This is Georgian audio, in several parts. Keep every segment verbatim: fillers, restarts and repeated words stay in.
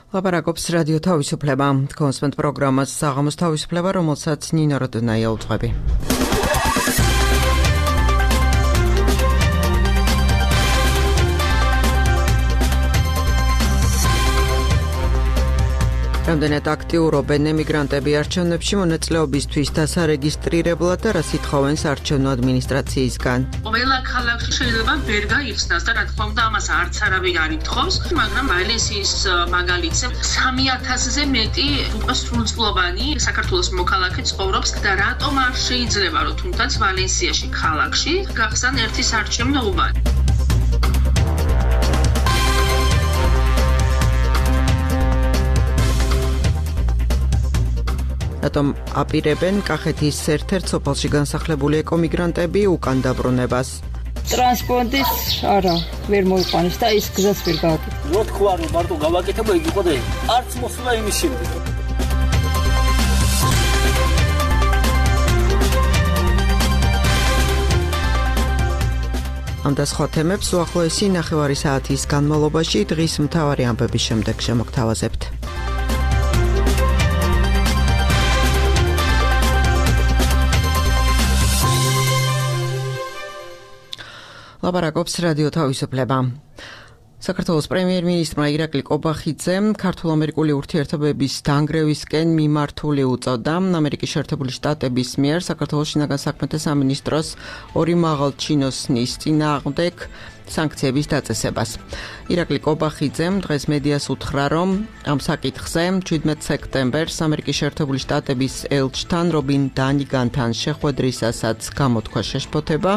ლაპარაკობს რადიო თავისუფლება. კონსპენთ პროგრამას საღამოს თავისუფლება, რომელსაც ნინო როდონაია უძღვები. რამდენად აქტიურობენ ემიგრანტები არჩევნებში მონაწილეობისთვის დასარეგისტრირებლად და რას ითხოვენ საარჩევნო ადმინისტრაციისგან. ყველა ქალაქში შეიძლება ვერ გაიხსნას და რა თქმა უნდა ამას არც არავინ არ ითხოვს, მაგრამ ვალენსიის მაგალითზე სამი ათასზე მეტი უკვე სრულწლოვანი საქართველოს მოქალაქე ცხოვრობს და რატომ არ შეიძლება რომ თუნდაც ვალენსიაში ქალაქში გახსნან ერთი საარჩევნო უბანი. რატომ აპირებენ კახეთის ერთ-ერთ სოფელში განსახლებული ეკომიგრანტები უკან დაბრუნებას? ტრანსპორტის არა ვერ მოიყვანეს და ის გზაც ვერ გააკეთა. რო თქვა რომ მარტო გავაკეთება იგი იყო და არც მოსულა იმის შემდეგ. ამ და სხვა თემებს უახლოესი ნახევარი საათის განმავლობაში დღის მთავარი ამბების შემდეგ შემოგთავაზებთ. ლაპარაკობს რადიო თავისუფლება. საქართველოს პრემიერ-მინისტრმა ირაკლი კობახიძემ ქართულ-ამერიკული ურთიერთობების დანგრევისკენ მიმართული უწოდა ამერიკის შეერთებული შტატების მიერ საქართველოს შინაგან საქმეთა სამინისტროს ორი მაღალჩინოსნის წინააღმდეგ სანქციების დაწესებას. ირაკლი კობახიძემ დღეს მედიას უთხრა, რომ ამ საკითხზე შვიდმეტ სექტემბერს ამერიკის შეერთებული შტატების ელჩთან რობინ დანიგანთან შეხვედრისასაც გამოთქვა შეშფოთება.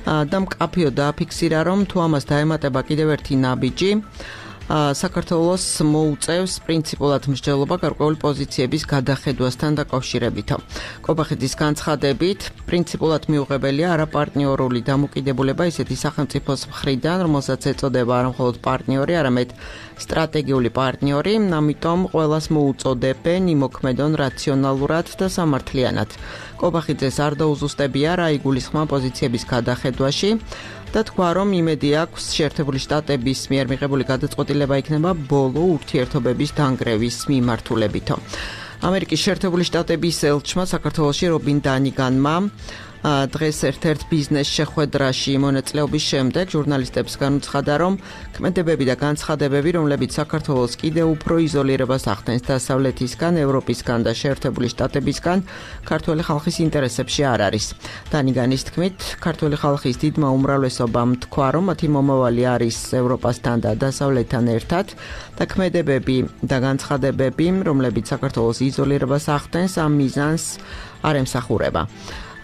და მკაფიოდ დააფიქსირა, რომ თუ ამას დაემატება კიდევ ერთი ნაბიჯი, საქართველოს მოუწევს პრინციპულად მსჯელობა გარკვეული პოზიციების გადახედვასთან დაკავშირებით. კობახიძის განცხადებით, პრინციპულად მიუღებელია არაპარტნიორული დამოკიდებულება ისეთი სახელმწიფოს მხრიდან, რომელსაც ეწოდება არა მხოლოდ პარტნიორი, არამედ სტრატეგიული პარტნიორი, ამიტომ ყველას მოუწოდებენ იმოქმედონ რაციონალურად და სამართლიანად. კობახიძეს არ დაუზუსტებია რა იგულისხმა პოზიციების გადახედვაში და თქვა, რომ იმედი აქვს შეერთებული შტატების მიერ მიღებული გადაწყვეტილება იქნება ბოლო ურთიერთობების დანგრევის მიმართულებით. ამერიკის შეერთებული შტატების ელჩმა საქართველოში რობინ დანიგანმა დღეს ერთ-ერთ ბიზნეს შეხვედრაში მონაწილეობის შემდეგ ჟურნალისტებს განუცხადა, რომ ქმედებები და განცხადებები, რომლებიც საქართველოს კიდევ უფრო იზოლირებას ახდენს დასავლეთისგან, ევროპისგან და შეერთებული შტატებისგან, ქართველი ხალხის ინტერესებში არ არის. დანიგანის თქმით, ქართველი ხალხის დიდმა უმრავლესობამ თქვა, რომ მათი მომავალი არის ევროპასთან და დასავლეთთან ერთად და ქმედებები და განცხადებები, რომლებიც საქართველოს იზოლირებას ახდენს, ამ მიზანს არ ემსახურება.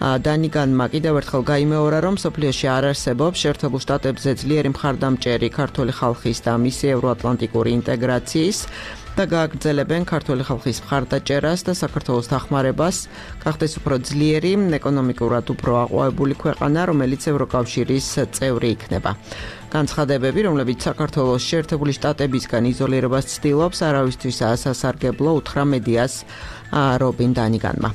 დანიგანმა კიდევ ერთხელ გაიმეორა, რომ სოფლიოში არ არსებობს შეერთებულ შტატებზე ძლიერი მხარდამჭერი ქართველი ხალხის და მისი ევროატლანტიკური ინტეგრაციის და გააგრძელებენ ქართველი ხალხის მხარდაჭერას და საქართველოს დახმარებას გახდეს უფრო ძლიერი, ეკონომიკურად უფრო აყვავებული ქვეყანა, რომელიც ევროკავშირის წევრი იქნება. განცხადებები, რომლებიც საქართველოს შეერთებული შტატებისგან იზოლირებას ცდილობს, არავისთვისაა სასარგებლო, უთხრა მედიას რობინ დანიგანმა.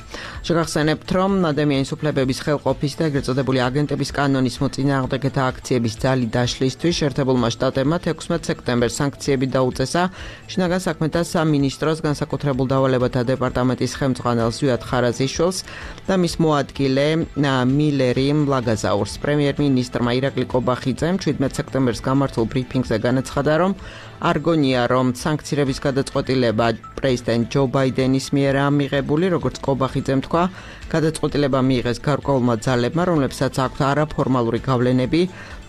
შეგახსენებთ, რომ ადამიანის უფლებების ხელყოფის და ეგრეთ წოდებული აგენტების კანონის მოწინააღმდეგეთა აქციების ძალი დაშლისთვის შეერთებულმა შტატებმა ექვსმეტ სექტემბერს სანქციები დაუწესა შინაგან საქმეთა სამინისტროს განსაკუთრებულ დავალებათა დეპარტამენტის ხელმძღვანელ ზვიად ხარაზიშვილს და მის მოადგილე მილერი ლაგაზაურს. პრემიერ-მინისტრმა ირაკლი კობახიძემ შვიდმეტ სექტემბერს გამართულ ბრიფინგზე განაცხადა, რომ არგონია, რომ სანქციების გადაწყვეტილება პრეზიდენტ ჯო ბაიდენის მიერ მიღებული, როგორც კობახიძემ თქვა, გადაწყვეტილება მიიღეს გარკვეულმა ძალებმა, რომლებსაც აქვთ არაფორმალური გავლენები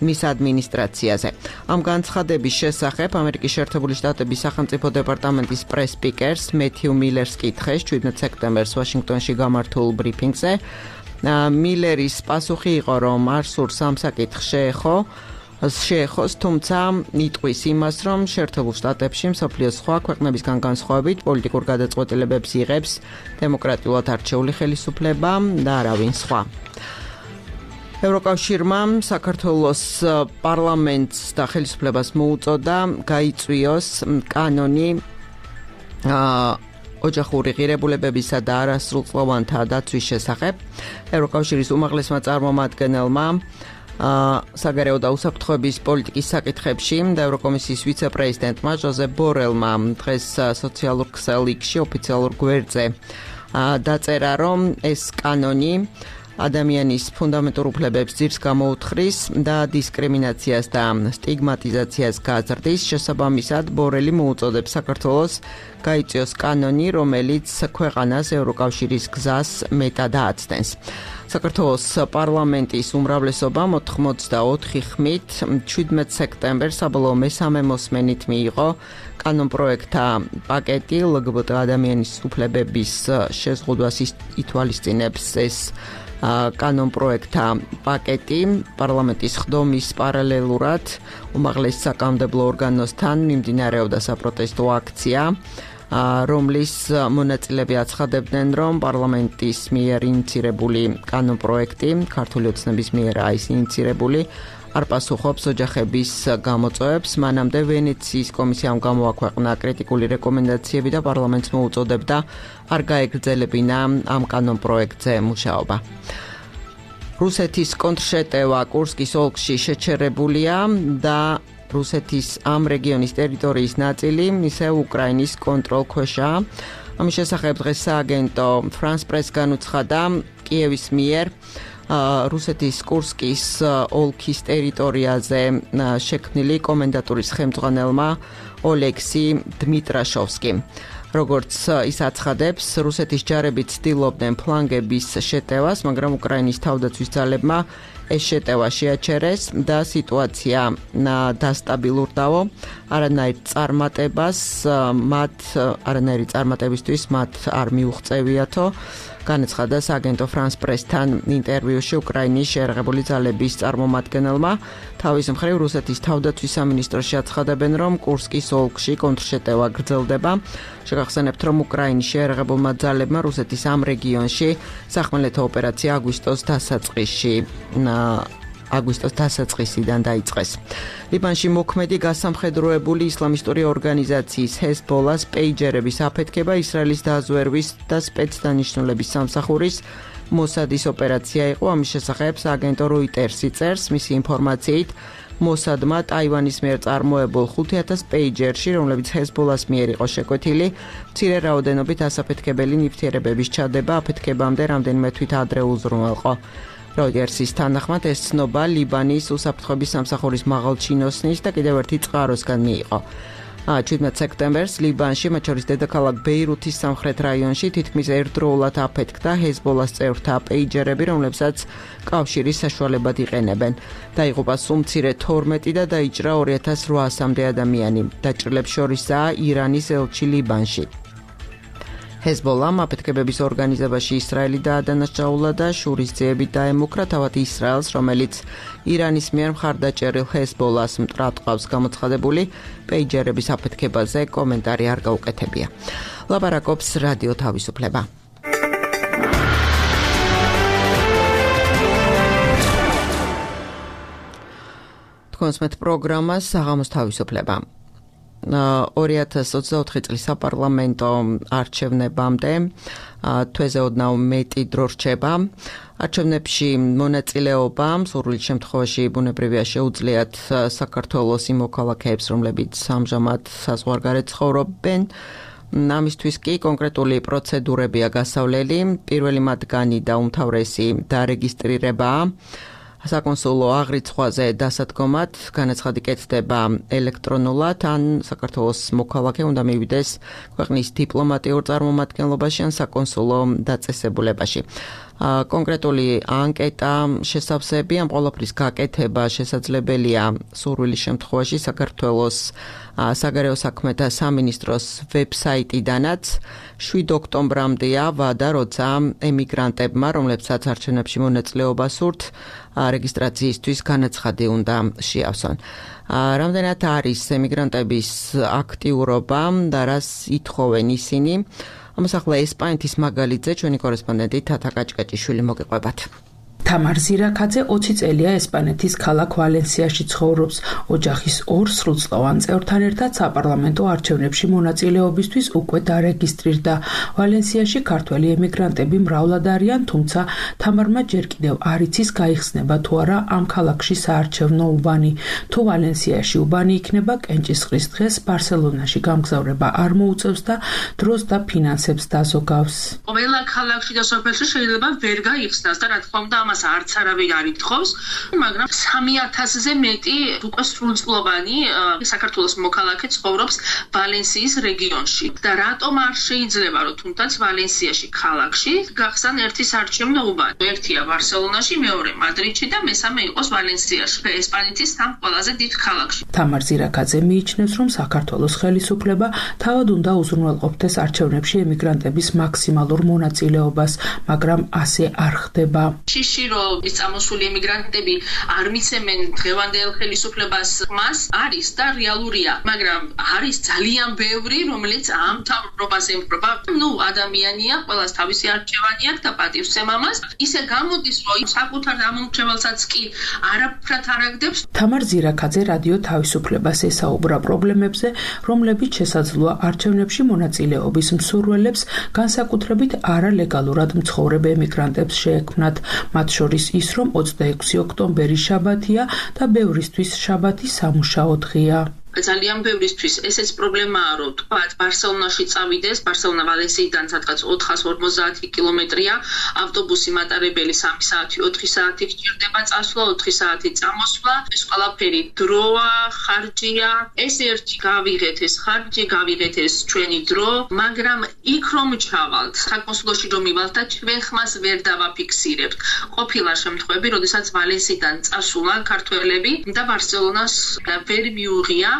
მის ადმინისტრაციაზე. ამ განცხადების შესახებ ამერიკის შეერთებული შტატების სახელმწიფო დეპარტამენტის პრეს-სპიკერს მეთიუ მილერს კითხეს შვიდმეტ სექტემბერს ვაშინგტონში გამართულ ბრიფინგზე. მილერის პასუხი იყო, რომ არ სურს ამ საკითხს შეეხო შეეხოს, თუმცა იტყვის იმას, რომ შეერთებულ შტატებში მსოფლიოს სხვა ქვეყნებისგან განსხვავებით პოლიტიკურ გადაწყვეტილებებს იღებს დემოკრატიულად არჩეული ხელისუფლება და არავინ სხვა. ევროკავშირმა საქართველოს პარლამენტს და ხელისუფლებას მოუწოდა გაიწვიოს კანონი ოჯახური ღირებულებებისა და არასრულწლოვანთა დაცვის შესახებ. ევროკავშირის უმაღლესმა წარმომადგენელმა საგარეო და უსაფრთხოების პოლიტიკის საკითხებში და ევროკომისიის ვიცე-პრეზიდენტმა ჟოზეფ ბორელმა დღეს სოციალურ ქსელში ოფიციალურ გვერდზე დაწერა, რომ ეს კანონი ადამიანის ფუნდამენტურ უფლებებს ძირს გამოუთხრის და დისკრიმინაციას და სტიგმატიზაციას გააზრდის. შესაბამისად, ბორელი მოუწოდებს საქართველოს გაიწვიოს კანონი, რომელიც ქვეყანას ევროკავშირის გზას მეტად ააცდენს. საქართველოს პარლამენტის უმრავლესობა ოთხმოცდაოთხი ხმით შვიდმეტ სექტემბერს საბოლოო მესამე მოსმენით მიიღო კანონპროექტთა პაკეტი ლგბტ ადამიანის უფლებების შეზღუდვას ითვალისწინებს ეს კანონპროექტთა პაკეტი პარლამენტის ხდომის პარალელურად უმაღლეს საკანონმდებლო ორგანოსთან მიმდინარეობდა საპროტესტო აქცია, რომლის მონაწილეები აცხადებდნენ, რომ პარლამენტის მიერ ინიციირებული კანონპროექტი, ქართული ოცნების მიერაა ის ინიციირებული, არ პასუხობს ოჯახების გამოწვევებს. მანამდე ვენეციის კომისიამ გამოაქვეყნა კრიტიკული რეკომენდაციები და პარლამენტს მოუწოდებდა არ გაეგრძელებინა ამ კანონპროექტზე მუშაობა. რუსეთის კონტრშეტევა კურსკის ოლქში შეჩერებულია და რუსეთის ამ რეგიონის ტერიტორიის ნაწილი ისევ უკრაინის კონტროლქვეშაა. ამის შესახებ დღეს სააგენტო France Press განუცხადა კიევის მიერ რუსეთის კურსკის ოლქის ტერიტორიაზე შექმნილი კომენდატურის ხელმძღვანელმა ოლექსი დმიტრაშოვსკიმ. როგორც ის აცხადებს, რუსეთის ჯარები ცდილობდნენ ფლანგების შეტევას, მაგრამ უკრაინის თავდაცვის ძალებმა ეს შეტევა შეაჩერეს და სიტუაცია დასტაბილურდაო. არანაირ წარმატებას მათ არანაირი წარმატებისთვის მათ არ მიუღწევიათო. განაცხადა სააგენტო France Press-თან ინტერვიუში უკრაინის შეერაღებული ძალების წარმომადგენელმა. თავის მხრივ რუსეთის თავდაცვის სამინისტროში აცხადებენ, რომ კურსკის ოლქში კონტრშეტევა გრძელდება. შეგახსენებთ, რომ უკრაინის შეერაღებულმა ძალებმა რუსეთის ამ რეგიონში სახმელეთო ოპერაცია აგვისტოს დასაწყისში აგვისტოს დასაწყისიდან დაიწყეს. ლიბანში მოქმედი გასამხედროებული ისლამისტური ორგანიზაციის ჰეზბოლას პეიჯერების აფეთქება ისრაელის დაზვერვის და სპეცდანიშნულების სამსახურის მოსადის ოპერაცია იყო. ამის შესახებ სააგენტო როიტერსი წერს, მისი ინფორმაციით მოსადმა ტაივანის მიერ წარმოებულ ხუთი ათას პეიჯერში, რომლებიც ჰეზბოლას მიერ იყო შეკვეთილი, მცირე რაოდენობით ასაფეთქებელი ნივთიერებების ჩადება აფეთქებამდე რამდენიმე თვით ადრე უზრუნველყო. როიტერსის თანახმად ეს ცნობა ლიბანის უსაფრთხოების სამსახურის მაღალჩინოსნის და კიდევ ერთი წყაროსგან მიიღო. შვიდმეტ სექტემბერს ლიბანში, მათ შორის დედაქალაქ ბეირუთის სამხრეთ რაიონში თითქმის ერთდროულად აფეთქდა ჰეზბოლას წევრთა პეიჯერები, რომლებსაც კავშირის საშუალებად იყენებენ. დაიღუპა სულ მცირე თორმეტი და დაიჭრა ორი ათას რვაასამდე ადამიანი. დაჭრილებს შორისაა ირანის ელჩი ლიბანში. ჰეზბოლამ აფეთქებების ორგანიზებაში ისრაელი დაადანაშაულა და შურისძიებით დაემუქრა თავად ისრაელს, რომელიც ირანის მიერ მხარდაჭერილ ჰეზბოლას მტრად ყავს გამოცხადებული პეიჯერების აფეთქებაზე კომენტარი არ გაუკეთებია. ლაპარაკობს რადიო თავისუფლება. თქვენს პროგრამას საღამოს თავისუფლება. ორი ათას ოცდაოთხი წლის საპარლამენტო არჩევნებამდე თვეზე ოდნავ მეტი დრო რჩება. არჩევნებში მონაწილეობა სურვილ შემთხვევაში ბუნებრივია შეუძლიათ საქართველოს იმ მოქალაქეებს, რომლებიც ამჟამად საზღვარგარეთ ცხოვრობენ. ამისთვის კი კონკრეტული პროცედურებია გასავლელი. პირველი მათგანი და უმთავრესი დარეგისტრირებაა. საკონსულო აღრიცხვაზე დასადგომად განაცხადი კეთდება ელექტრონულად, ან საქართველოს მოქალაქე უნდა მივიდეს ქვეყნის დიპლომატიურ წარმომადგენლობაში ან საკონსულო დაწესებულებაში. კონკრეტული ანკეტა შესავსები ამ ყველაფრის გაკეთება შესაძლებელია სურვილის შემთხვევაში საქართველოს საგარეო საქმეთა სამინისტროს ვებსაიტიდანაც. შვიდ ოქტომბრამდეა ვადა, როცა ემიგრანტებმა, რომლებსაც არჩევნებში მონაწილეობა სურთ, რეგისტრაციისთვის განაცხადი უნდა შეავსონ. რამდენად არის ემიგრანტების აქტიურობა და რას ითხოვენ ისინი? ამას ახლა ესპანეთის მაგალითზე ჩვენი კორესპონდენტი თათა კაჭკაჭიშვილი მოგიყვებათ. თამარ ზირაქაძე ოცი წელია ესპანეთის ქალაქ ვალენსიაში ცხოვრობს. ოჯახის ორ სრულწლოვან წევრთან ერთად საპარლამენტო არჩევნებში მონაწილეობისთვის უკვე დარეგისტრირდა. ვალენსიაში ქართველი ემიგრანტები მრავლად არიან, თუმცა თამარმა ჯერ კიდევ არ იცის გაიხსნება თუ არა ამ ქალაქში საარჩევნო უბანი. თუ ვალენსიაში უბანი იქნება, კენჭისყრის დღეს ბარსელონაში გამგზავრება არ მოუწევს და დროს და ფინანსებს დაზოგავს. ყველა ქალაქში და სოფელში შეიძლება ვერ გაიხსნას და რა თქმა უნდა ამას არც არავინ არ ითხოვს, მაგრამ სამი ათასზე მეტი უკვე სრულწლოვანი საქართველოს მოქალაქე ცხოვრობს ვალენსიის რეგიონში. და რატომ არ შეიძლება რომ თუნდაც ვალენსიაში ქალაქში გახსნან ერთი საარჩევნო უბანი? ერთია ბარსელონაში, მეორე მადრიდში და მესამე იყოს ვალენსიაში, ესპანეთის სამ ყველაზე დიდ ქალაქში. თამარ ზირაქაძე მიიჩნევს, რომ საქართველოს ხელისუფლება თავად უნდა უზრუნველყოფდეს არჩევნებში ემიგრანტების მაქსიმალურ მონაწილეობას, მაგრამ ასე არ ხდება. შიში რომ ის წამოსული ემიგრანტები არ მიცემენ დღევანდელ ხელისუფლებას ხმას არის და რეალურია, მაგრამ არის ძალიან ბევრი, რომელიც ამ მთავრობას ემხრობა. ნუ ადამიანია, ყველას თავისი არჩევანი აქვს და პატივს ემამას. ისე გამოდის, რომ საკუთარ ამომრჩეველსაც კი არაფრად არ აგდებს. თამარ ზირაქაძე რადიო თავისუფლებას ესაუბრა პრობლემებზე, რომლებიც შესაძლოა არჩევნებში მონაწილეობის მსურველებს, განსაკუთრებით არალეგალურად მცხოვრებ ემიგრანტებს შეექმნათ. მათ შორის ის, რომ ოცდაექვსი ოქტომბერი შაბათია და ბევრისთვის შაბათი სამუშაო დღეა. ძალიან ბევრისთვის ესეც პრობლემაა, რომ თქვა ბარსელონაში წავიდეს, ბარსელონა ვალენსიიდან სადღაც ოთხას ორმოცდაათი კილომეტრია, ავტობუსი მატარებელი სამი საათი, ოთხი საათი გჭირდება წასვლა, ოთხი საათი წამოსვლა, ეს ყველაფერი დროა, ხარჯია. ეს ერთი გავიღეთ ეს ხარჯი, გავიღეთ ეს ჩვენი დრო, მაგრამ იქ რომ ჩავალთ, საკონსულოში რომ მივალთ და ჩვენ ხმას ვერ დავაფიქსირებთ. ყოფილა შემთხვევები, როდესაც ვალენსიიდან წასულან ქართველები და ბარსელონას ვერ მიუღია,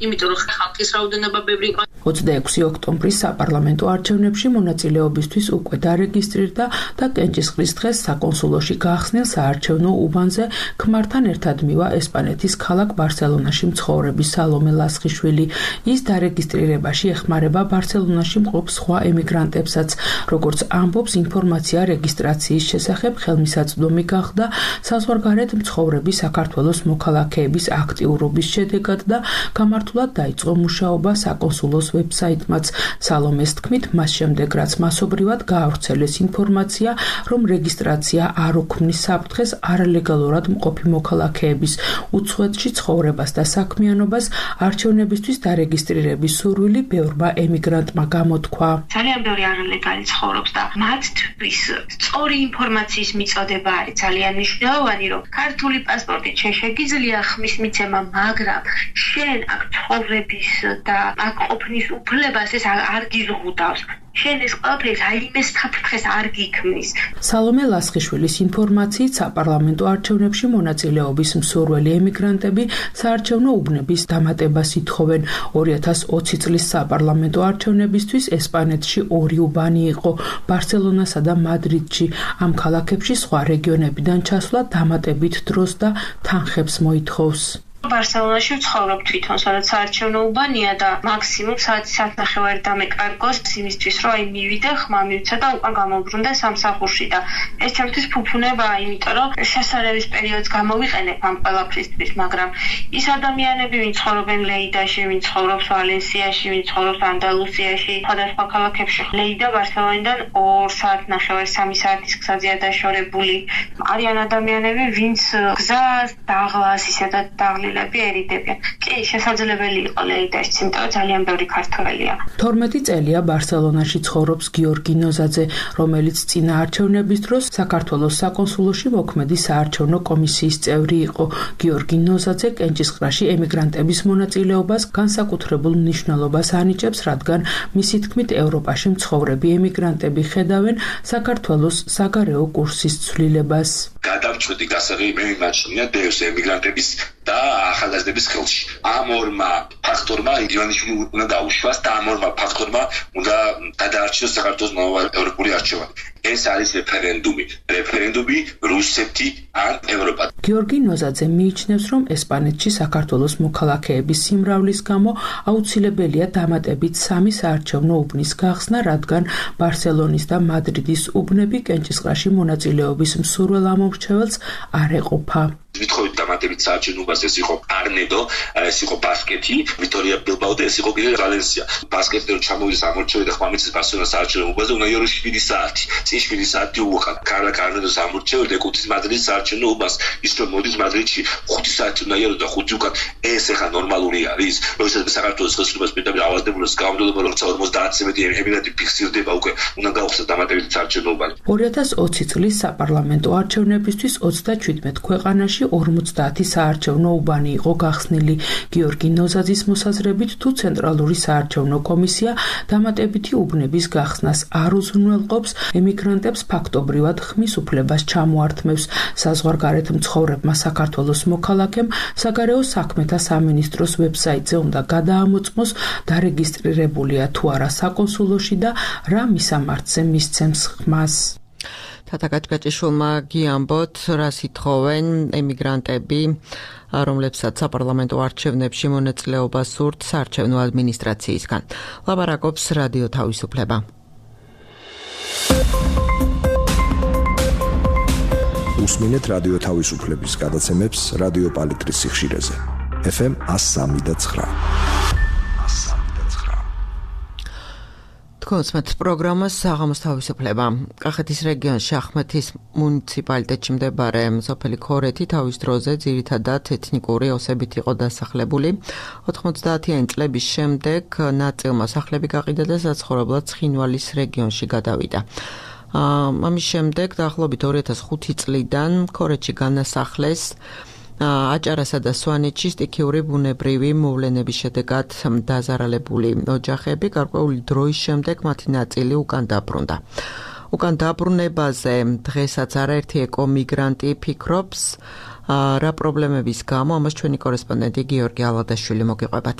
იმიტომ რომ ხალხის რაოდენობა ბევრი იყო. ოცდაექვსი ოქტომბრის საპარლამენტო არჩევნებში მონაწილეობისთვის უკვე დარეგისტრირდა და კენჭისყრის დღეს საკონსულოში გაახსნილ საარჩევნო უბანზე ქმართან ერთად მივა ესპანეთის ქალაქ ბარსელონაში მცხოვრები სალომე ლასხიშვილი. ის დარეგისტრირებაში ეხმარება ბარსელონაში მყოფ სხვა ემიგრანტებსაც. როგორც ამბობს, ინფორმაცია რეგისტრაციის შესახებ ხელმისაწვდომი გახდა საზღვარგარეთ მცხოვრები საქართველოს მოქალაქეების აქტიურობის შედეგად და გამართულად დაიწყო მუშაობა საკონსულოს ვებსაიტმაც. სალომეს თქმით, მას შემდეგ რაც მასობრივად გაავრცელეს ინფორმაცია, რომ რეგისტრაცია არ უქმნის საფრთხეს არალეგალურად მყოფი მოქალაქეების უცხოეთში ცხოვრებას და საქმიანობას, არჩევნებისთვის დარეგისტრირების სურვილი ბევრმა ემიგრანტმა გამოთქვა. ძალიან ბევრი არალეგალი ცხოვრობს და მათთვის სწორი ინფორმაციის მიწოდება არის ძალიან მნიშვნელოვანი, რომ ქართული პასპორტით შეგიძლია ხმის მიცემა, მაგრამ შენ აქ ცხოვრების და აქ ყოფნის უფლებას ეს არ გიზღუდავს. შენ ეს ყველაფერი რაიმე საფრთხეს არ გიქმნის. სალომე ლასხიშვილის ინფორმაციით საპარლამენტო არჩევნებში მონაწილეობის მსურველი ემიგრანტები საარჩევნო უბნების დამატებას ითხოვენ. ორი ათას ოცი წლის საპარლამენტო არჩევნებისთვის ესპანეთში ორი უბანი იყო, ბარსელონასა და მადრიდში. ამ ქალაქებში სხვა რეგიონებიდან ჩასვლა დამატებით დროს და თანხებს მოითხოვს. ბარსელონაში ვცხოვრობ თვითონ, სადაც საარჩევნო უბანია და მაქსიმუმ საათი საათნახევარი დამეკარგოს იმისთვის, რომ აი მივიდე, ხმა მივცა და უკან გამოვბრუნდა სამსახურში და ეს ჩემთვის ფუფუნებაა, იმიტომ რომ შესაძლებელი პერიოდს გამოვიყენებ ამ ყველაფრისთვის, მაგრამ ის ადამიანები, ვინც ცხოვრობენ ლეიდაში, ვინც ცხოვრობს ვალენსიაში, ვინც ცხოვრობს ანდალუსიაში, სხვადასხვა ქალაქებში, ლეიდა ბარსელონიდან ორ საათნახევარი, სამი საათის გზაზეა დაშორებული. არიან ადამიანები, ვინც გზას დაღლას ისედაც დაღლილ ერიდებიან. კი, შესაძლებელი იყო ლეიდაში, იმიტომ რომ ძალიან ბევრი ქართველია. თორმეტი წელია ბარსელონაში ცხოვრობს გიორგი ნოზაძე, რომელიც წინა არჩევნების დროს საქართველოს საკონსულოში მოქმედი საარჩევნო კომისიის წევრი იყო. გიორგი ნოზაძე კენჭისყრაში ემიგრანტების მონაწილეობას განსაკუთრებულ მნიშვნელობას ანიჭებს, რადგან მისი თქმით ევროპაში მცხოვრები ემიგრანტები ხედავენ საქართველოს საგარეო კურსის ცვლილებას. გადავწყვეტი გასაღები მე მიმაჩნია დევს ემიგრანტების და ახალგაზრდების ხელში. ამ ორმა ფაქტორმა ივანიშვილი უნდა დაუშვას და ამ ორმა ფაქტორმა უნდა გადაარჩინოს საქართველოს მომავალი ევროპული არჩევანი. ეს არის რეფერენდუმი. რეფერენდუმი რუსეთი ან ევროპა. გიორგი ნოზაძე მიიჩნევს, რომ ესპანეთში საქართველოს მოქალაქეების სიმრავლის გამო აუცილებელია დამატებით სამი საარჩევნო უბნის გახსნა, რადგან ბარსელონის და მადრიდის უბნები კენჭისყრაში მონაწილეობის მსურველ ამომრჩეველს არ ეყოფა. Vitrovit დამატებით საარჩევნობას ეს იყო არნედო, ეს იყო ბასკეთი, ვიტორია ბილბაო და ეს იყო კიდე ვალენსია. ბასკეთი რომ ჩამოვიდეს ამორჩევი და ხმამიცის ბარსელონას საარჩევნობაზე უნდა იორო შვიდი საათი. წინ შვიდი საათი უყან. კარლა კარნედოს ამორჩევი და ეკუთვნის მადრიდის საარჩევნობას. ის რომ მოდის მადრიდში ხუთი საათი უნდა იარო და ხუთი უკან. ეს ახლა ნორმალური არის. როდესაც საქართველოს ხელისუფლებას პირდაპირ ავადდებულს გამოდდება როცა ორმოცდაათზე მეტი ემინენტი ფიქსირდება უკვე უნდა გაუხსნას დამატებით საარჩევნობა. ორი ათას ოცი წლის საპარლამენტო არჩევნებისთვის ოცდაჩვიდმეტ ქვეყანაში ორმოცდაათი საარჩევნო უბანი იყო გახსნილი. გიორგი ნოზაძის მოსაზრებით, თუ ცენტრალური საარჩევნო კომისია დამატებითი უბნების გახსნას არ უზრუნველყოფს, ემიგრანტებს ფაქტობრივად ხმის უფლებას ჩამოართმევს. საზღვარგარეთ მცხოვრებმა საქართველოს მოქალაქემ საგარეო საქმეთა სამინისტროს ვებსაიტზე უნდა გადაამოწმოს, დარეგისტრირებულია თუ არა საკონსულოში და რა მისამართზე მისცემს ხმას. თათაკაჭკაჭიშვილმა გიამბოთ, რას ითხოვენ ემიგრანტები, რომლებსაც საპარლამენტო არჩევნებში მონაწილეობა სურთ საარჩევნო ადმინისტრაციისგან. ლაპარაკობს რადიო თავისუფლება. უსმინეთ რადიო თავისუფლების გადაცემებს რადიო პალიტრის სიხშირეზე. ეფ ემ one oh three point nine. თქოსმეთ პროგრამას საღამოს თავისუფლება. კახეთის რეგიონში ახმეთის მუნიციპალიტეტში მდებარე სოფელი ქორეთი თავის დროზე ძირითადად ეთნიკური ოსებით იყო დასახლებული. ოთხმოცდაათიანი წლების შემდეგ ნაწილმა სახლები გაყიდა და საცხოვრებლად ცხინვალის რეგიონში გადავიდა. ამის შემდეგ დაახლოებით ორი ათას ხუთი წლიდან ქორეთში განასახლეს აჭარასა და სვანეთში სტიქიური ბუნებრივი მოვლენების შედეგად დაზარალებული ოჯახები. გარკვეული დროის შემდეგ მათი ნაწილი უკან დაბრუნდა. უკან დაბრუნებაზე დღესაც არაერთი ეკომიგრანტი ფიქრობს, რა პრობლემების გამო, ამას ჩვენი კორესპონდენტი გიორგი ალადაშვილი მოგიყვებათ.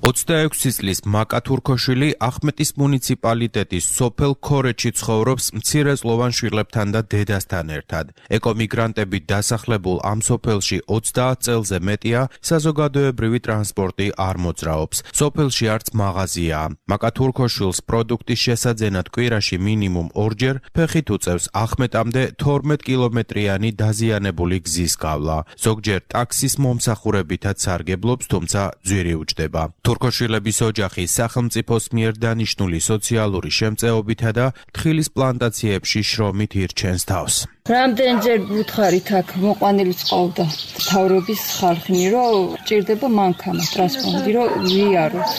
ოცდაექვსი წლის მაკა თურქოშვილი ახმეტის მუნიციპალიტეტის სოფელ ქორეთში ცხოვრობს მცირეწლოვან შვილებთან და დედასთან ერთად. ეკომიგრანტები დასახლებულ ამ სოფელში ოცდაათ წელზე მეტია, საზოგადოებრივი ტრანსპორტი არ მოძრაობს. სოფელში არც მაღაზიაა. მაკა თურქოშვილს პროდუქტის შესაძენად კვირაში მინიმუმ ორჯერ ფეხით უწევს ახმეტამდე თორმეტ კილომეტრიანი დაზიანებული გზის გავლა. ზოგჯერ ტაქსის მომსახურებითაც სარგებლობს, თუმცა ძვირი უჯდება. თურქოშვილების ოჯახი სახელმწიფოს მიერ დანიშნული სოციალური შემწეობითა და თხილის პლანტაციებში შრომით ირჩენს თავს. რამდენჯერ ვუთხარით აქ მოყვანილიც ყავდა თავრობის ხალხი, რომ ჭირდება მანქანა, ტრანსპორტი, რომ ვიაროთ.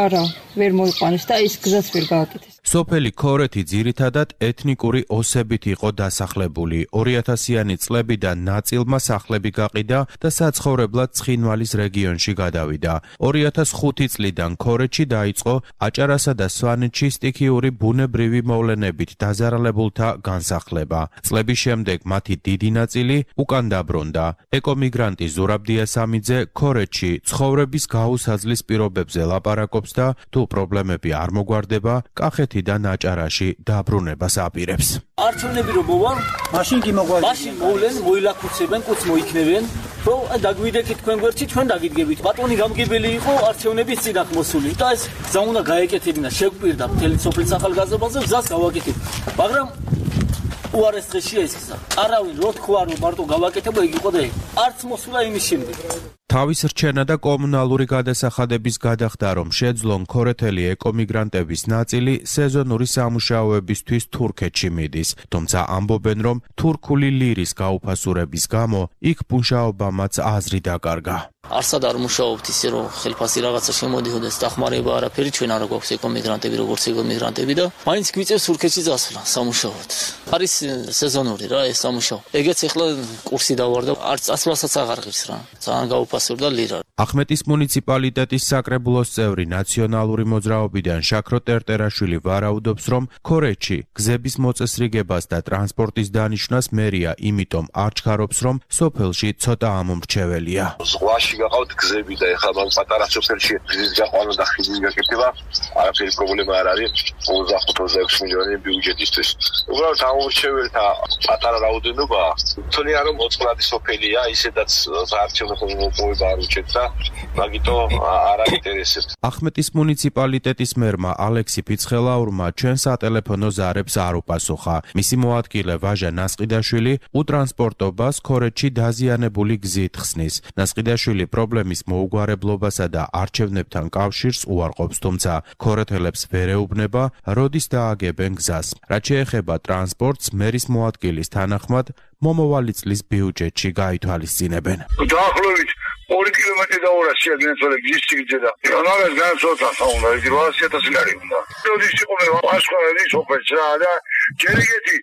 არა, ვერ მოიყვანეს და ის გზას ვერ გააკეთეს. სოფელი ქორეთი ძირითადად ეთნიკური ოსებით იყო დასახლებული. ორი ათასიანი წლებიდან ნაწილმა სახლები გაყიდა და საცხოვრებლად ცხინვალის რეგიონში გადავიდა. ორი ათას ხუთი წლიდან ქორეთში დაიწყო აჭარასა და სვანეთში სტიქიური ბუნებრივი მოვლენებით დაზარალებულთა განსახლება. წლების შემდეგ მათი დიდი ნაწილი უკან დაბრუნდა. ეკომიგრანტი ზურაბ დიასამიძე ქორეთში ცხოვრების გაუსაძლის პირობებზე ლაპარაკობს და თუ პრობლემები არ მოგვარდება, კახეთიდან აჭარაში დაბრუნებას აპირებს. არჩევნები რომ მოვალ, მაშინ კი მოვალ. მაშინ მოვლენ, მოილაქუცებენ, კუც მოიქნევენ, რომ დაგვიდეკით თქვენ გვერდში, ჩვენ დაგიდგებით. ბატონი გამგებელი იყო არჩევნების წინათ მოსული და ეს გზა უნდა გაეკეთებინა, შეგვპირდა მთელი სოფლის ახალგაზრდობაზე გზას გავაკეთებ. მაგრამ უარეს დღეშია ეს გზა. არავინ რო თქვა რომ მარტო გავაკეთებ, ეგ იყო და ეგ. არც მოსულა იმის შემდეგ. თავის რჩენა და კომუნალური გადასახადების გადახდა, რომ შეძლონ ქორეთელი ეკომიგრანტების ნაწილი სეზონური სამუშაოებისთვის თურქეთში მიდის, თუმცა ამბობენ, რომ თურქული ლირის გაუფასურების გამო იქ მუშაობამაც აზრი დაკარგა. არსად არ მუშაობთ ისე რომ ხელფასი რაღაცა შემოდიოდეს, დახმარება არაფერი, ჩვენ არ გვაქვს ეკომიგრანტები როგორც ეკომიგრანტები და მაინც გვიწევს თურქეთში წასვლა სამუშაოდ. არის სეზონური რა ეს სამუშაო. ეგეც ახლა კურსი დავარ და არც წასვლასაც აღარ ღირს რა. ძალიან გაუფასურდა. ლიტერატურა და ლირა. ახმეტის მუნიციპალიტეტის საკრებულოს წევრი ნაციონალური მოძრაობიდან შაქრო ტერტერაშვილი ვარაუდობს, რომ ქორეჩი გზების მოწესრიგებას და ტრანსპორტის დანიშვნას მერია იმიტომ არ ჩქარობს, რომ სოფელში ცოტა ამომრჩეველია. ზღვაში გაყავთ გზები და ეხლა მაგ პატარა სოფელში გზის გაყვანა და ხიდი გაკეთება, არაფერი პრობლემა არ არის. ოცდახუთ ოცდაექვსი მილიონი ბიუჯეტისთვის. უბრალოდ ამომრჩეველთა პატარა რაოდენობა, თვლიან რომ მოწყვლადი სოფელია, ისედაც საარჩევნო მოპოვება არ უჩვენს. მაგიტო არ აინტერესებს. ახმეტის მუნიციპალიტეტის მერმა ალექსი ფიცხელაურმა ჩვენ სატელეფონო ზარებს არ უპასუხა. მისი მოადგილე ვაჟა ნასყიდაშვილი უტრანსპორტობას ქორეჩში დაზიანებული გზით ხსნის. ნასყიდაშვილი პრობლემის მოუგვარებლობასა და არჩევნებთან კავშირს უარყოფს, თუმცა ქორეთელებს ვერ ეუბნება, როდის დააგებენ გზას. რაც შეეხება ტრანსპორტს, მერის მოადგილის თანახმად მომავალი წლის ბიუჯეტში გაითვალისწინებენ. დაახლოებით ორი კილომეტრი და ორასი აგენცვალე გზის სიგრძე და ამას განსხვავება უნდა იგი რვაასი ათასი ლარი უნდა. როდის იყობება პასუხები სოფელს რა და ჯერ ეგეთი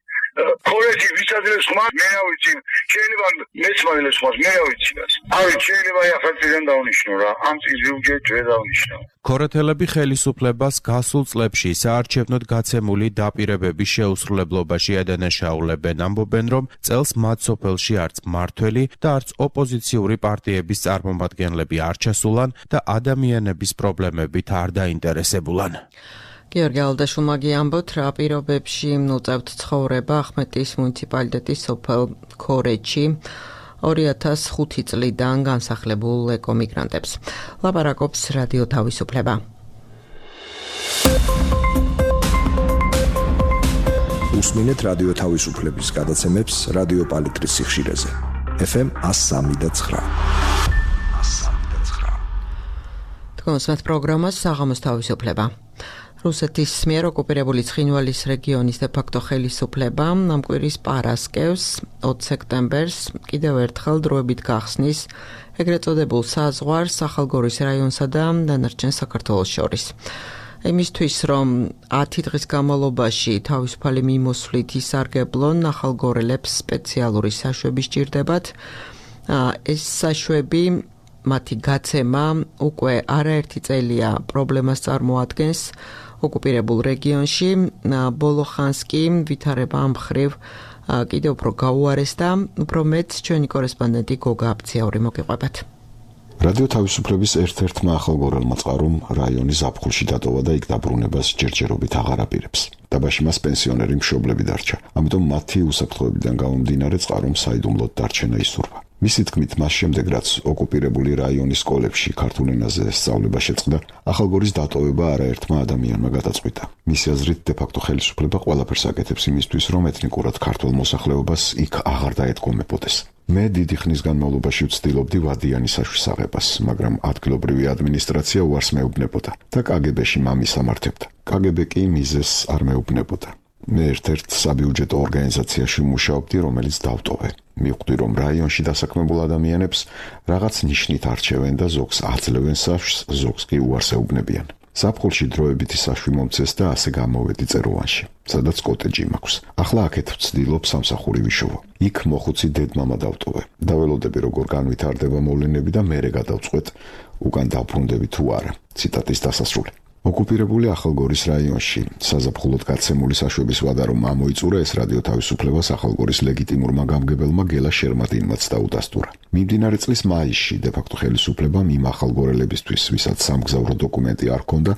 ქორეჩი ვიცადრეს ხმა მე რა ვიცი შეიძლება მეცმაილეს ხმას მე რა ვიცი გას. აი შეიძლება ახალწლიდან დავნიშნო რა ამ წლის ბიუჯეტს ვერ დავნიშნო. ქორეთელები ხელისუფლებას გასულ წლებში საარჩევნოდ გაცემული დაპირებების შეუსრულებლობაში ედენაშაულებენ, ამბობენ, რომ წელს მათ სოფელში არც მმართველი და არც ოპოზიციური პარტიების წარმომადგენლები არ ჩასულან და ადამიანების პრობლემებით არ დაინტერესებულან. გიორგი ალდაშვილმა გიამბოთ, რა პირობებში უწევთ ცხოვრება ახმეტის მუნიციპალიტეტის სოფელ ქორეჩში ორი ათას ხუთი წლიდან განსახლებულ ეკომიგრანტებს. ლაპარაკობს რადიო თავისუფლება. უსმინეთ რადიო თავისუფლების გადაცემებს რადიო პალიტრის სიხშირეზე. ეფ ემ one oh three და nine. თქვენს პროგრამას საღამოს თავისუფლება. რუსეთის მიერ ოკუპირებული ცხინვალის რეგიონის დე-ფაქტო ხელისუფლება ამ კვირის პარასკევს ოცი სექტემბერს კიდევ ერთხელ დროებით გახსნის ეგრეთ წოდებულ საზღვარს ახალგორის რაიონსა და დანარჩენ საქართველოს შორის. იმისთვის, რომ ათი დღის განმავლობაში თავისუფალი მიმოსვლით ისარგებლონ ახალგორელებს სპეციალური საშვები სჭირდებათ, ეს საშვები მათი გაცემა უკვე არაერთი წელია პრობლემას წარმოადგენს ოკუპირებულ რეგიონში. ბოლო ხანს კი ვითარება ამ მხრივ კიდევ უფრო გაუარესდა, უფრო მეც ჩვენი კორესპონდენტი გოგა აბციური მოგიყვებათ. რადიო თავისუფლების ერთ-ერთმა ახალგორელმა წყარომ რაიონის ზაფხულში დატოვა და იქ დაბრუნებას ჯერჯერობით აღარ აპირებს. დაბაში მას პენსიონერი მშობლები დარჩა, ამიტომ მათი უსაფრთხოებიდან გამომდინარე წყარომ საიდუმლოდ დარჩენა ისურვა. მისი თქმით, მას შემდეგ რაც ოკუპირებული რაიონის სკოლებში ქართულ ენაზე სწავლება შეწყდა, ახალგორის დატოვება არაერთმა ადამიანმა გადაწყვიტა. მისი აზრით, დე-ფაქტო ხელისუფლება ყველაფერს აკეთებს იმისთვის, რომ ეთნიკურად ქართულ მოსახლეობას იქ აღარ დაედგომებოდეს. მე დიდი ხნის განმავლობაში ვცდილობდი ვადიანი საშვის აღებას, მაგრამ ადგილობრივი ადმინისტრაცია უარს მეუბნებოდა და კაგებეში მამის ამართებდა. კაგებე კი მიზეს არ მეუბნებოდა. მე ერთ-ერთ საბიუჯეტო ორგანიზაციაში მუშაობდი, რომელიც დავტოვე. მივხვდი, რომ რაიონში დასაქმებულ ადამიანებს რაღაც ნიშნით არჩევენ და ზოგს აძლევენ საშვს, ზოგს კი უარს ეუბნებიან. ზაფხულში დროებითი საშვი მომცეს და ასე გამოვედი წეროვანში, სადაც კოტეჯი მაქვს. ახლა აქეთ ვცდილობ სამსახური ვიშოვო. იქ მოხუცი დედმამა დავტოვე. დაველოდები როგორ განვითარდება მოვლენები და მერე გადავწყვეტ უკან დავბრუნდები თუ არა. ციტატის დასასრული. ოკუპირებული ახალგორის რაიონში საზაფხულოდ გაცემული საშვების ვადა რომ ამოიწურა, ეს რადიო თავისუფლებას ახალგორის ლეგიტიმურმა გამგებელმა გელა შერმატინმაც დაუდასტურა. მიმდინარე წლის მაისში დე-ფაქტო ხელისუფლებამ იმ ახალგორელებისთვის, ვისაც სამგზავრო დოკუმენტი არ ჰქონდა,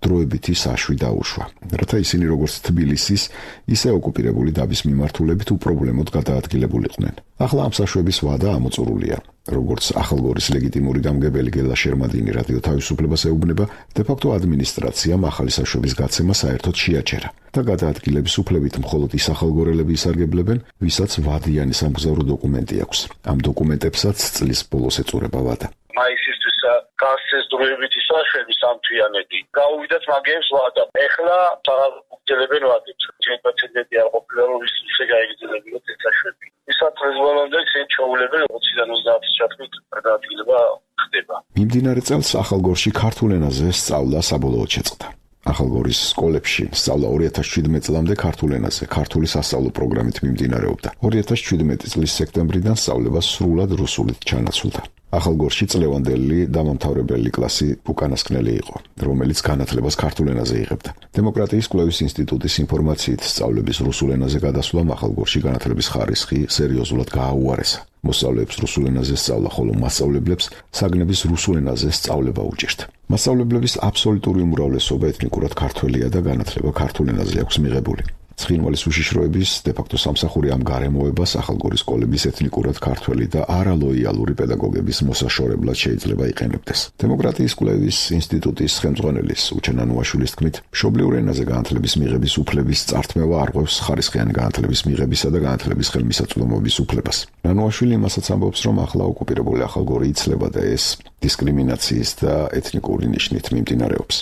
დროებითი საშვი დაუშვა, რათა ისინი როგორც თბილისის, ისე ოკუპირებული დაბის მიმართულებით უპრობლემოდ გადაადგილებულიყვნენ. ახლა ამ საშვების ვადა ამოწურულია. როგორც ახალგორის ლეგიტიმური გამგებელი გელა შერმადინი რადიო თავისუფლებას ეუბნება, დე-ფაქტო ადმინისტრაციამ ახალი საშვების გაცემა საერთოდ შეაჩერა და გადაადგილების უფლებით მხოლოდ ის ახალგორელები ისარგებლებენ, ვისაც ვადიანი სამგზავრო დოკუმენტი აქვს. ამ დოკუმენტებსაც წლის ბოლოს ეწურება ვადა. მაისისთვის გასცეს დროებითი საშვები სამთვიანეთი. გაუვიდათ მაგებს ვადა. ეხლა აღგზელებენ ვადებს. ჩვენ პრეცედენტი არ ყოფილა, რომ ის ისე გაიგრძელებინათ ეს საშვები. ისათვის ბოლომდე ჩვენ ჩაულებენ ოციდან ოცდაათის ჩათვლით გადაადგილება ხდება. მიმდინარე წელს ახალგორში ქართულ ენაზე სწავლა საბოლოოდ შეწყდა. ახალგორის სკოლებში სწავლა ორი ათას შვიდმეტ წლამდე ქართულ ენაზე, ქართული სასწავლო პროგრამით მიმდინარეობდა. ორი ათას შვიდმეტი წლის სექტემბრიდან სწავლება სრულად რუსულით ჩანაცვლდა. ახალგორში წლევანდელი დამამთავრებელი კლასი უკანასკნელი იყო, რომელიც განათლებას ქართულ ენაზე იღებდა. დემოკრატიის კვლევის ინსტიტუტის ინფორმაციით სწავლების რუსულ ენაზე გადასვლამ ახალგორში განათლების ხარისხი სერიოზულად გააუარესა. მოსწავლეებს რუსულ ენაზე სწავლა, ხოლო მასწავლებლებს საგნების რუსულ ენაზე სწავლება უჭირთ. მასწავლებლების აბსოლუტური უმრავლესობა ეთნიკურად ქართველია და განათლება ქართულ ენაზე აქვს მიღებული. ცხინვალის უშიშროების დე-ფაქტო სამსახური ამ გარემოებას ახალგორის სკოლების ეთნიკურად ქართველი და არალოიალური პედაგოგების მოსაშორებლად შეიძლება იყენებდეს. დემოკრატიის კვლევის ინსტიტუტის ხელმძღვანელის უჩენ ანუაშვილის თქმით, მშობლიურ ენაზე განათლების მიღების უფლების წართმევა არღვევს ხარისხიანი განათლების მიღებისა და განათლების ხელმისაწვდომობის უფლებას. ანუაშვილი იმასაც ამბობს, რომ ახლა ოკუპირებული ახალგორი იცლება და ეს დისკრიმინაციის და ეთნიკური ნიშნით მიმდინარეობს.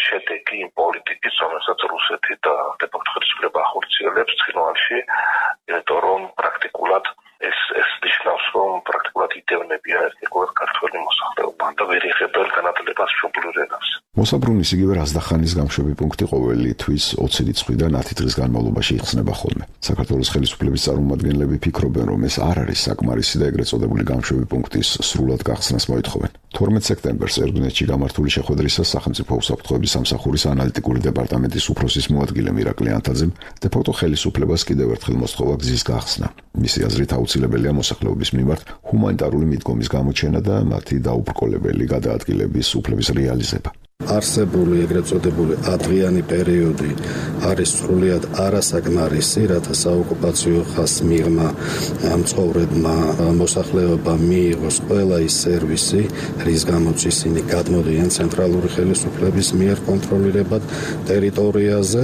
შედეგი იმ პოლიტიკის, რომელსაც რუსეთი და დე-ფაქტო ხელისუფლება ახორციელებს ცხინვალში, იმიტომ რომ პრაქტიკულად ეს ეს ნიშნავს, რომ პრაქტიკულად იდევნებიან ეთნიკურად ქართველი მოსახლეობა და ვერ იღებენ განათლებას მშობლიურ ენაზე. მოსაბრუნის იგივე რაზდახანის გამშვები პუნქტი ყოველი თვის ოცი რიცხვიდან ათი დღის განმავლობაში იხსნება ხოლმე. საქართველოს ხელისუფლების წარმომადგენლები ფიქრობენ, რომ ეს არ არის საკმარისი და ეგრეთ წოდებული გამშვები პუნქტის სრულად გახსნას მოითხოვენ. თორმეტ სექტემბერს ერგუნეთში გამართული შეხვედრისას სახელმწიფო უსაფრთხოების სამსახურის ანალიტიკური დეპარტამენტის უფროსის მოადგილე მირაკლი ანთაძემ დე-ფაქტო ხელისუფლებას კიდევ ერთხელ მოსთხოვა გზის გახსნა. მისი აზრით აუცილებელია მოსახლეობის მიმართ ჰუმანიტარული მიდგომის გამოჩენა და მათი დაუბრკოლებელი გადაადგილების უფლების რეალიზება. არსებული ეგრეთ წოდებული ადრიანი პერიოდი არის სრულიად არასაკმარისი, რათა საოკუპაციო ხაზს მიღმა მცხოვრებმა მოსახლეობამ მიიღოს ყველა ის სერვისი, რის გამოც ისინი გადმოდიან ცენტრალური ხელისუფლების მიერ კონტროლირებად ტერიტორიაზე,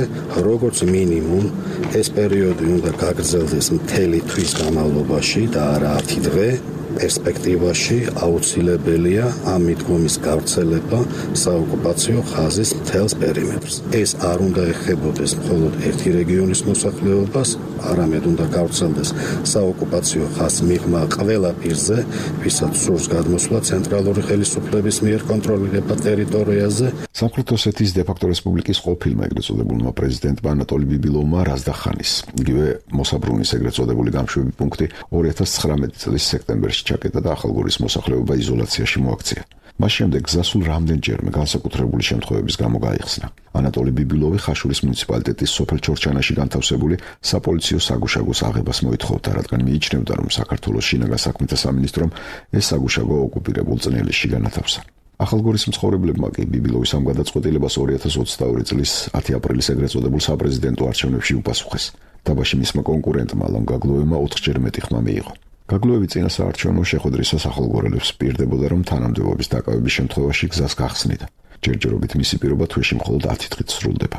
როგორც მინიმუმ ეს პერიოდი უნდა გაგრძელდეს მთელი თვის განმავლობაში და არა ათი დღე. პერსპექტივაში აუცილებელია ამ მიდგომის გავრცელება საოკუპაციო ხაზის მთელს პერიმეტრს. ეს არ უნდა ეხებოდეს მხოლოდ ერთი რეგიონის მოსახლეობას, არამედ უნდა გავრცელდეს საოკუპაციო ხაზს მიღმა ყველა პირზე, ვისაც სურს გადმოსვლა ცენტრალური ხელისუფლების მიერ კონტროლირებად ტერიტორიაზე. სამხრეთ ოსეთის დე-ფაქტო რესპუბლიკის ყოფილმა ეგრეთ წოდებულმა პრეზიდენტმა ანატოლი ბიბილოვმა რაზდახანის, იგივე მოსაბრუნის ეგრეთ წოდებული გამშვები პუნქტი ორი ათას ცხრამეტი წლის სექტემბერში ჩაკეტა და ახალგორის მოსახლეობა იზოლაციაში მოაქცია. მას შემდეგ გზასულ რამდენჯერმე განსაკუთრებული შემთხვევების გამო გაიხსნა. ანატოლი ბიბილოვი ხაშურის მუნიციპალიტეტის სოფელ ჩორჩანაში განთავსებული საპოლიციო საგუშაგოს აღებას მოითხოვდა, რადგან მიიჩნევდა, რომ საქართველოს შინაგან საქმეთა სამინისტრომ ეს საგუშაგო ოკუპირებულ წნეულში განათავსა. ახალგორის მცხოვრებლებმა კი ბიბილოვის ამ გადაწყვეტილებას ორი ათას ოცდაორი წლის ათი აპრილის ეგრეთ წოდებულ საპრეზიდენტო არჩევნებში უპასუხეს. დაბაში მისმა კონკურენტმა ალონ გაგლუევმა ოთხჯერ მეტი ხმა მიიღო. გაგლუევი წინა საარჩევნო შეხვედრისას ახალგორელებს პირდებოდა, რომ თანამდებობის დაკავების შემთხვევაში გზას გახსნიდა. ჯერჯერობით მისი პირობა თვეში მხოლოდ ათი დღით სრულდება.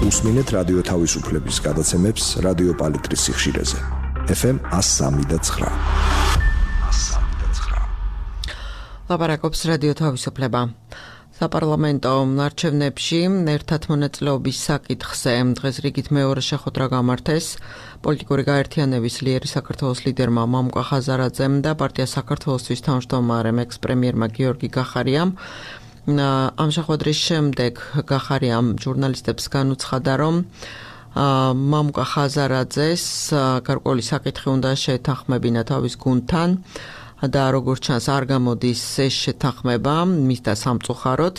უსმინეთ რადიო თავისუფლების გადაცემებს რადიო პალიტრის სიხშირეზე. ეფ ემ ათს სამი და ცხრა. ლაპარაკობს რადიო თავისუფლება. საპარლამენტო არჩევნებში ერთად მონაწილეობის საკითხზე დღეს რიგით მეორე შეხვედრა გამართეს. პოლიტიკური გაერთიანების ლიერი საქართველოს ლიდერმა მამუკა ხაზარაძემ და პარტია საქართველოსთვის თავმჯდომარემ ექს-პრემიერმა გიორგი გახარიამ. ამ შეხვედრის შემდეგ გახარიამ ჟურნალისტებს განუცხადა, რომ მამუკა ხაზარაძეს გარკვეული საკითხი უნდა შეთანხმებინა თავის გუნდთან და როგორც ჩანს არ გამოდის ეს შეთანხმება მის და სამწუხაროდ.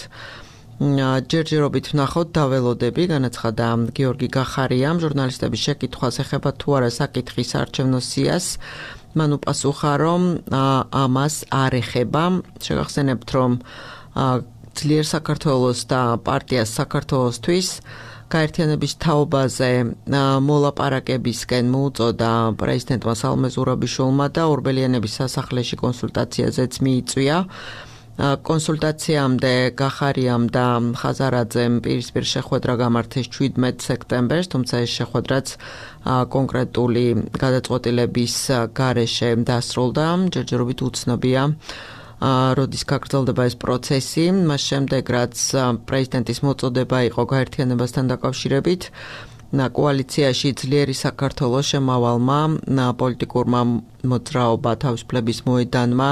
ჯერჯერობით ვნახოთ დაველოდები, განაცხადა გიორგი გახარიამ ჟურნალისტების შეკითხვას ეხება თუ არა საკითხის არჩევნო სიას. მან უპასუხა, რომ ამას არ ეხება. შეგახსენებთ, რომ ძლიერ საქართველოს და პარტიას საქართველოსთვის გაერთიანების თაობაზე მოლაპარაკებისკენ მოუწოდა პრეზიდენტმა სალომე ზურაბიშვილმა და ორბელიანების სასახლეში კონსულტაციაზეც მიიწვია. კონსულტაციამდე გახარიამ და ხაზარაძემ პირისპირ შეხვედრა გამართეს შვიდმეტ სექტემბერს, თუმცა ეს შეხვედრაც კონკრეტული გადაწყვეტილების გარეშე დასრულდა. ჯერჯერობით უცნობია როდის გაგრძელდება ეს პროცესი. მას შემდეგ, რაც პრეზიდენტის მოწოდება იყო გაერთიანებასთან დაკავშირებით, კოალიციაში ძლიერი საქართველოს შემავალმა პოლიტიკურმა მოძრაობა თავისუფლების მოედანმა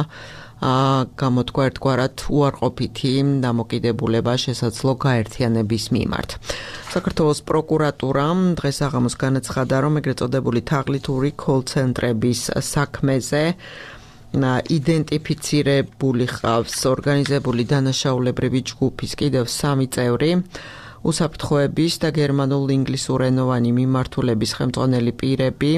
გამოთქვა ერთგვარად უარყოფითი დამოკიდებულება შესაძლო გაერთიანების მიმართ. საქართველოს პროკურატურამ დღეს აღამოს განაცხადა, რომ ეგრეთ წოდებული თაღლითური კოლ-ცენტრების საქმეზე იდენტიფიცირებული ხავს ორგანიზებული დანაშაულებრივი ჯგუფის კიდევ სამი წევრი, უსაფრთხოების და გერმანულ-ინგლისურენოვანი მიმართულების ხელმძღვანელი პირები,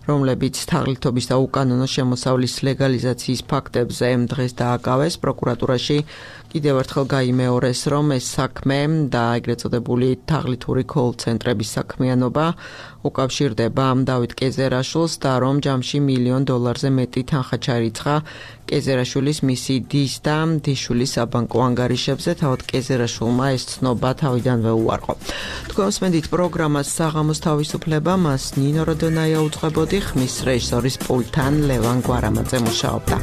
რომლებიც თაღლითობის და უკანონო შემოსავლის ლეგალიზაციის ფაქტებზე დღეს დააკავეს. პროკურატურაში კიდევ ერთხელ გაიმეორეს, რომ ეს საქმე და ეგრეთ წოდებული თაღლითური კოლ-ცენტრების საქმიანობა უკავშირდება დავით კეზერაშვილს და რომ ჯამში მილიონ დოლარზე მეტი თანხა ჩაირიცხა კეზერაშვილის მისი დის და დიშვილის საბანკო ანგარიშებზე. თავად კეზერაშვილმა ეს ცნობა თავიდანვე უარყო. თქვენ მსმენთ პროგრამას საღამოს თავისუფლება, მას ნინო როდონაია უძღვებოდი, ხმის რეჟისორის პულტთან ლევან გვარამაძე მუშაობდა.